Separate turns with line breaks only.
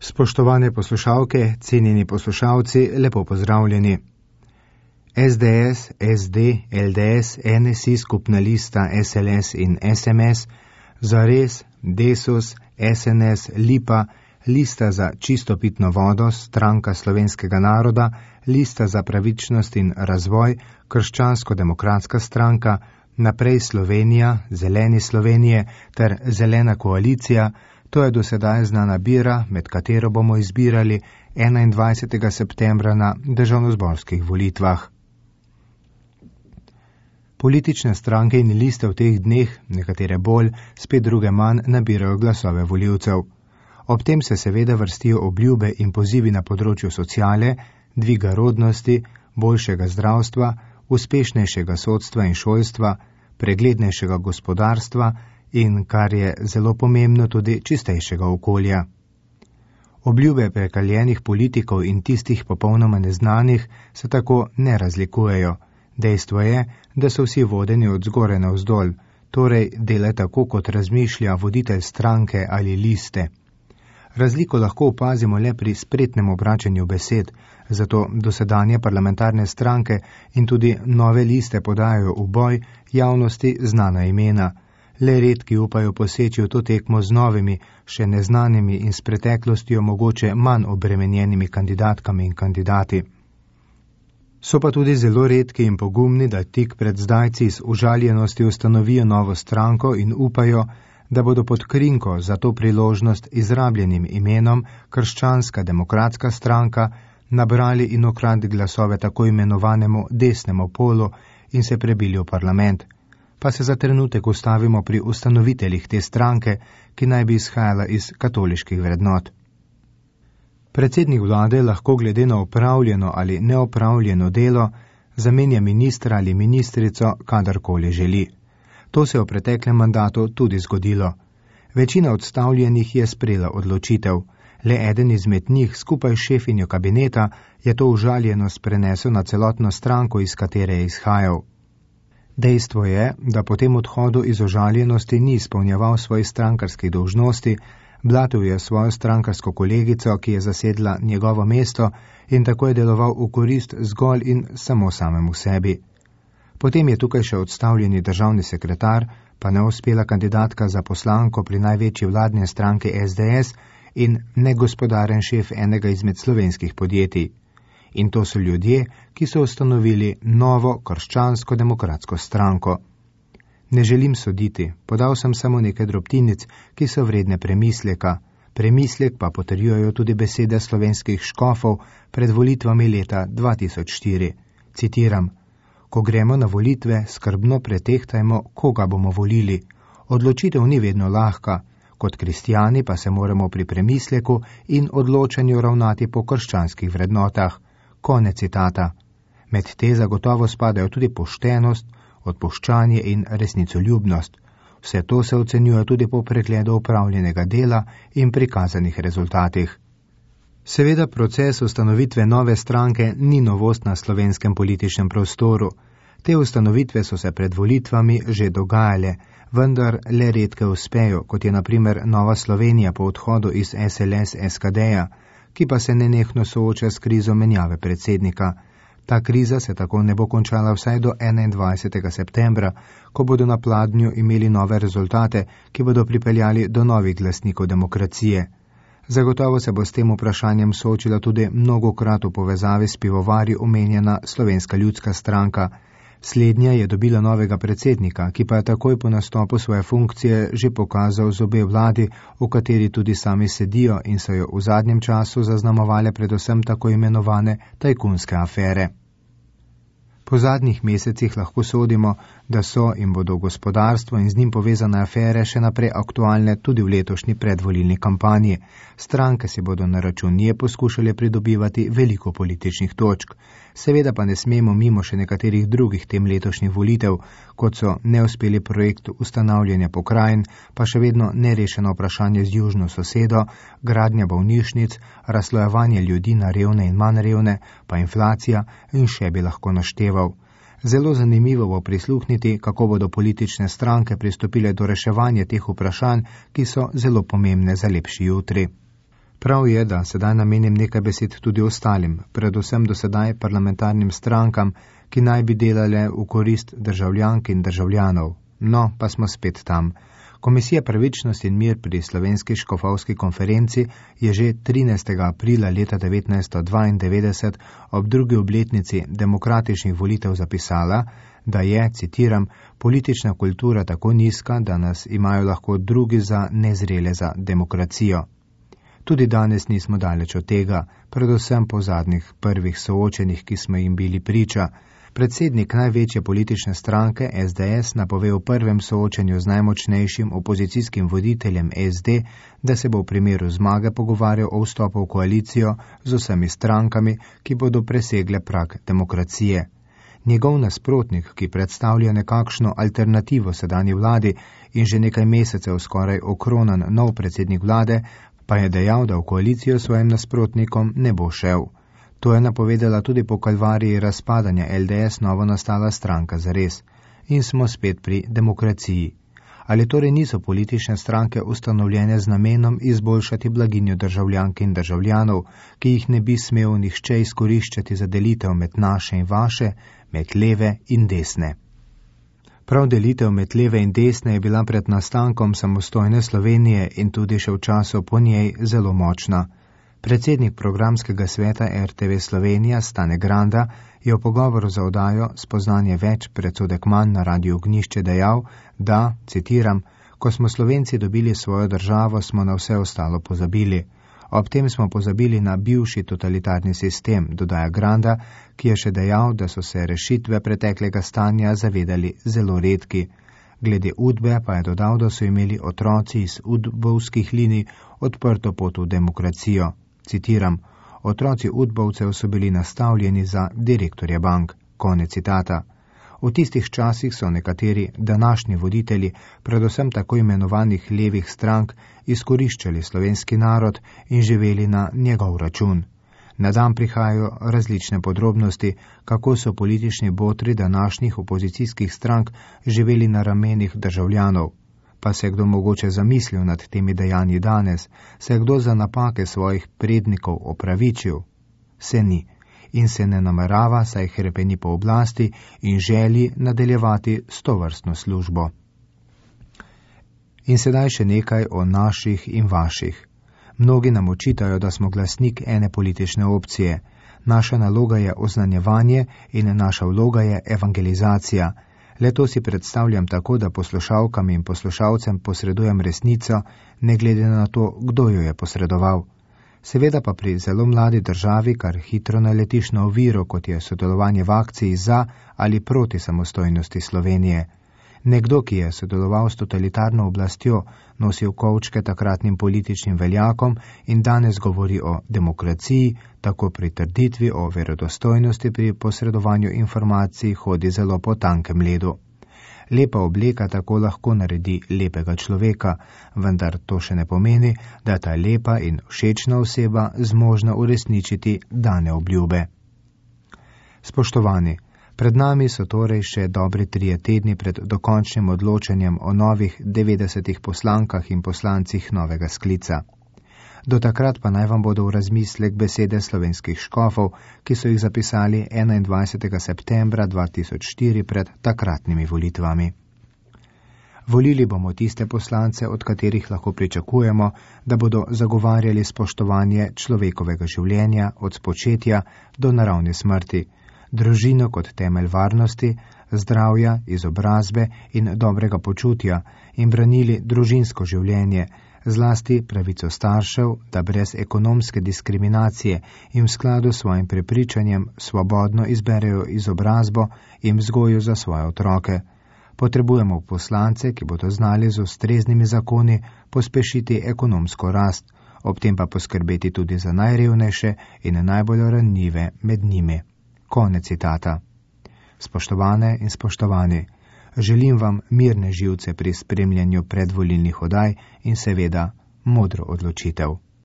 Spoštovane poslušalke, cenjeni poslušalci, lepo pozdravljeni. SDS, SD, LDS, NSI, skupna lista SLS in SMS, Zares, Desus, SNS, Lipa, Lista za čisto pitno vodo, Stranka slovenskega naroda, Lista za pravičnost in razvoj, Krščansko-demokratska stranka, Naprej Slovenija, Zeleni Slovenije ter Zelena koalicija. To je do sedaj znana bira, med katero bomo izbirali 21. septembra na državnozborskih volitvah. Politične stranke in liste v teh dneh, nekatere bolj, spet druge manj, nabirajo glasove volivcev. Ob tem se seveda vrstijo obljube in pozivi na področju sociale, dviga rodnosti, boljšega zdravstva, uspešnejšega sodstva in šolstva, preglednejšega gospodarstva in, kar je zelo pomembno, tudi čistejšega okolja. Obljube prekaljenih politikov in tistih popolnoma neznanih se tako ne razlikujejo. Dejstvo je, da so vsi vodeni od zgoraj navzdol, torej dela tako, kot razmišlja voditelj stranke ali liste. Razliko lahko opazimo le pri spretnem obračanju besed, zato dosedanje parlamentarne stranke in tudi nove liste podajajo v boj javnosti znana imena. Le redki upajo poseči v to tekmo z novimi, še neznanimi in s preteklostjo mogoče manj obremenjenimi kandidatkami in kandidati. So pa tudi zelo redki in pogumni, da tik pred zdajci iz užaljenosti ustanovijo novo stranko in upajo, da bodo pod krinko za to priložnost izrabljenim imenom Krščanska demokratska stranka nabrali in ukradli glasove tako imenovanemu desnemu polu in se prebili v parlament. Pa se za trenutek ustavimo pri ustanoviteljih te stranke, ki naj bi izhajala iz katoliških vrednot. Predsednik vlade lahko glede na opravljeno ali neopravljeno delo zamenja ministra ali ministrico kadarkoli želi. To se je v preteklem mandatu tudi zgodilo. Večina odstavljenih je sprejela odločitev. Le eden izmed njih skupaj s šefinjo kabineta je to užaljenost prenesel na celotno stranko, iz katere je izhajal. Dejstvo je, da po tem odhodu iz užaljenosti ni izpolnjeval svojih strankarskih dolžnosti, blatil je svojo strankarsko kolegico, ki je zasedla njegovo mesto in tako je deloval v korist zgolj in samo samemu sebi. Potem je tukaj še odstavljeni državni sekretar, pa neuspela kandidatka za poslanko pri največji vladni stranki SDS in negospodaren šef enega izmed slovenskih podjetij. In to so ljudje, ki so ustanovili novo krščansko-demokratsko stranko. Ne želim soditi, podal sem samo nekaj drobtinic, ki so vredne premisleka. Premislek pa potrjujejo tudi besede slovenskih škofov pred volitvami leta 2004. Citiram: Ko gremo na volitve, skrbno pretehtajmo, koga bomo volili. Odločitev ni vedno lahka, kot kristjani pa se moramo pri premisleku in odločanju ravnati po krščanskih vrednotah. Konec citata. Med te zagotovo spadajo tudi poštenost, odpuščanje in resnicoljubnost. Vse to se ocenjuje tudi po pregledu opravljenega dela in prikazanih rezultatih. Seveda proces ustanovitve nove stranke ni novost na slovenskem političnem prostoru. Te ustanovitve so se pred volitvami že dogajale, vendar le redke uspejo, kot je na primer Nova Slovenija po odhodu iz SLS SKD-ja, ki pa se nenehno sooča s krizo menjave predsednika. Ta kriza se tako ne bo končala vsaj do 21. septembra, ko bodo na pladnju imeli nove rezultate, ki bodo pripeljali do novih glasnikov demokracije. Zagotovo se bo s tem vprašanjem soočila tudi mnogokrat v povezavi s pivovarji omenjena Slovenska ljudska stranka. Slednja je dobila novega predsednika, ki pa je takoj po nastopu svoje funkcije že pokazal zobe vladi, v kateri tudi sami sedijo in so jo v zadnjem času zaznamovale predvsem tako imenovane tajkunske afere. Po zadnjih mesecih lahko sodimo, da so in bodo gospodarstvo in z njim povezane afere še naprej aktualne tudi v letošnji predvolilni kampanji. Stranke si bodo na račun nje poskušale pridobivati veliko političnih točk. Seveda pa ne smemo mimo še nekaterih drugih tem letošnjih volitev, kot so neuspeli projekt ustanavljanja pokrajin, pa še vedno nerešeno vprašanje z južno sosedo, gradnja bolnišnic, razslojevanje ljudi na revne in manj revne, pa inflacija in še bi lahko našteval. Zelo zanimivo bo prisluhniti, kako bodo politične stranke pristopile do reševanja teh vprašanj, ki so zelo pomembne za lepši jutri. Prav je, da sedaj namenim nekaj besed tudi ostalim, predvsem do sedaj parlamentarnim strankam, ki naj bi delale v korist državljank in državljanov. No, pa smo spet tam. Komisija Pravičnost in mir pri Slovenski škofovski konferenci je že 13. aprila leta 1992 ob drugi obletnici demokratičnih volitev zapisala, da je, citiram, politična kultura tako nizka, da nas imajo lahko drugi za nezrele za demokracijo. Tudi danes nismo daleč od tega, predvsem po zadnjih prvih soočenjih, ki smo jim bili priča. Predsednik največje politične stranke SDS napove v prvem soočenju z najmočnejšim opozicijskim voditeljem SD, da se bo v primeru zmage pogovarjal o vstopu v koalicijo z vsemi strankami, ki bodo presegle prag demokracije. Njegov nasprotnik, ki predstavlja nekakšno alternativo sedanji vladi in že nekaj mesecev skoraj okronan nov predsednik vlade, pa je dejal, da v koalicijo svojim nasprotnikom ne bo šel. To je napovedala tudi po kalvariji razpadanja LDS novo nastala stranka zares. In smo spet pri demokraciji. Ali torej niso politične stranke ustanovljene z namenom izboljšati blaginjo državljank in državljanov, ki jih ne bi smel nihče izkoriščati za delitev med naše in vaše, med leve in desne? Prav delitev med leve in desne je bila pred nastankom samostojne Slovenije in tudi še v času po njej zelo močna. Predsednik programskega sveta RTV Slovenija Stane Granda je v pogovoru za oddajo Spoznanje več predsodek manj na Radiu Ognjišče dejal, da, citiram, ko smo Slovenci dobili svojo državo, smo na vse ostalo pozabili. Ob tem smo pozabili na bivši totalitarni sistem, dodaja Granda, ki je še dejal, da so se rešitve preteklega stanja zavedali zelo redki. Glede Udbe pa je dodal, da so imeli otroci iz udbovskih linij odprto pot v demokracijo. Citiram, otroci udbovcev so bili nastavljeni za direktorje bank. Konec citata. V tistih časih so nekateri današnji voditelji, predvsem tako imenovanih levih strank, izkoriščali slovenski narod in živeli na njegov račun. Na dan prihajajo različne podrobnosti, kako so politični botri današnjih opozicijskih strank živeli na ramenih državljanov. Pa se je kdo mogoče zamislil nad temi dejanji danes, se je kdo za napake svojih prednikov opravičil? Se ni. In se ne namerava, saj hrepeni po oblasti in želi nadaljevati s tovrstno službo. In sedaj še nekaj o naših in vaših. Mnogi nam očitajo, da smo glasnik ene politične opcije. Naša naloga je oznanjevanje in naša vloga je evangelizacija. Leto si predstavljam tako, da poslušalkam in poslušalcem posredujem resnico, ne glede na to, kdo jo je posredoval. Seveda pa pri zelo mladi državi kar hitro naletiš na oviro, kot je sodelovanje v akciji za ali proti samostojnosti Slovenije. Nekdo, ki je sodeloval s totalitarno oblastjo, nosil kovčke takratnim političnim veljakom in danes govori o demokraciji, tako pri trditvi o verodostojnosti pri posredovanju informacij hodi zelo po tankem ledu. Lepa obleka tako lahko naredi lepega človeka, vendar to še ne pomeni, da je ta lepa in všečna oseba zmožna uresničiti dane obljube. Spoštovani, pred nami so torej še dobri 3 tedni pred dokončnim odločanjem o novih 90 poslankah in poslancih novega sklica. Do takrat pa naj vam bodo v razmislek besede slovenskih škofov, ki so jih zapisali 21. septembra 2004 pred takratnimi volitvami. Volili bomo tiste poslance, od katerih lahko pričakujemo, da bodo zagovarjali spoštovanje človekovega življenja od spočetja do naravne smrti, družino kot temelj varnosti, zdravja, izobrazbe in dobrega počutja in branili družinsko življenje, zlasti pravico staršev, da brez ekonomske diskriminacije in v skladu s svojim prepričanjem svobodno izberejo izobrazbo in vzgojo za svoje otroke. Potrebujemo poslance, ki bodo znali z ustreznimi zakoni pospešiti ekonomsko rast, ob tem pa poskrbeti tudi za najrevnejše in najbolj ranljive med njimi. Konec citata. Spoštovane in spoštovani, želim vam mirne živce pri spremljanju predvolilnih oddaj in seveda modro odločitev.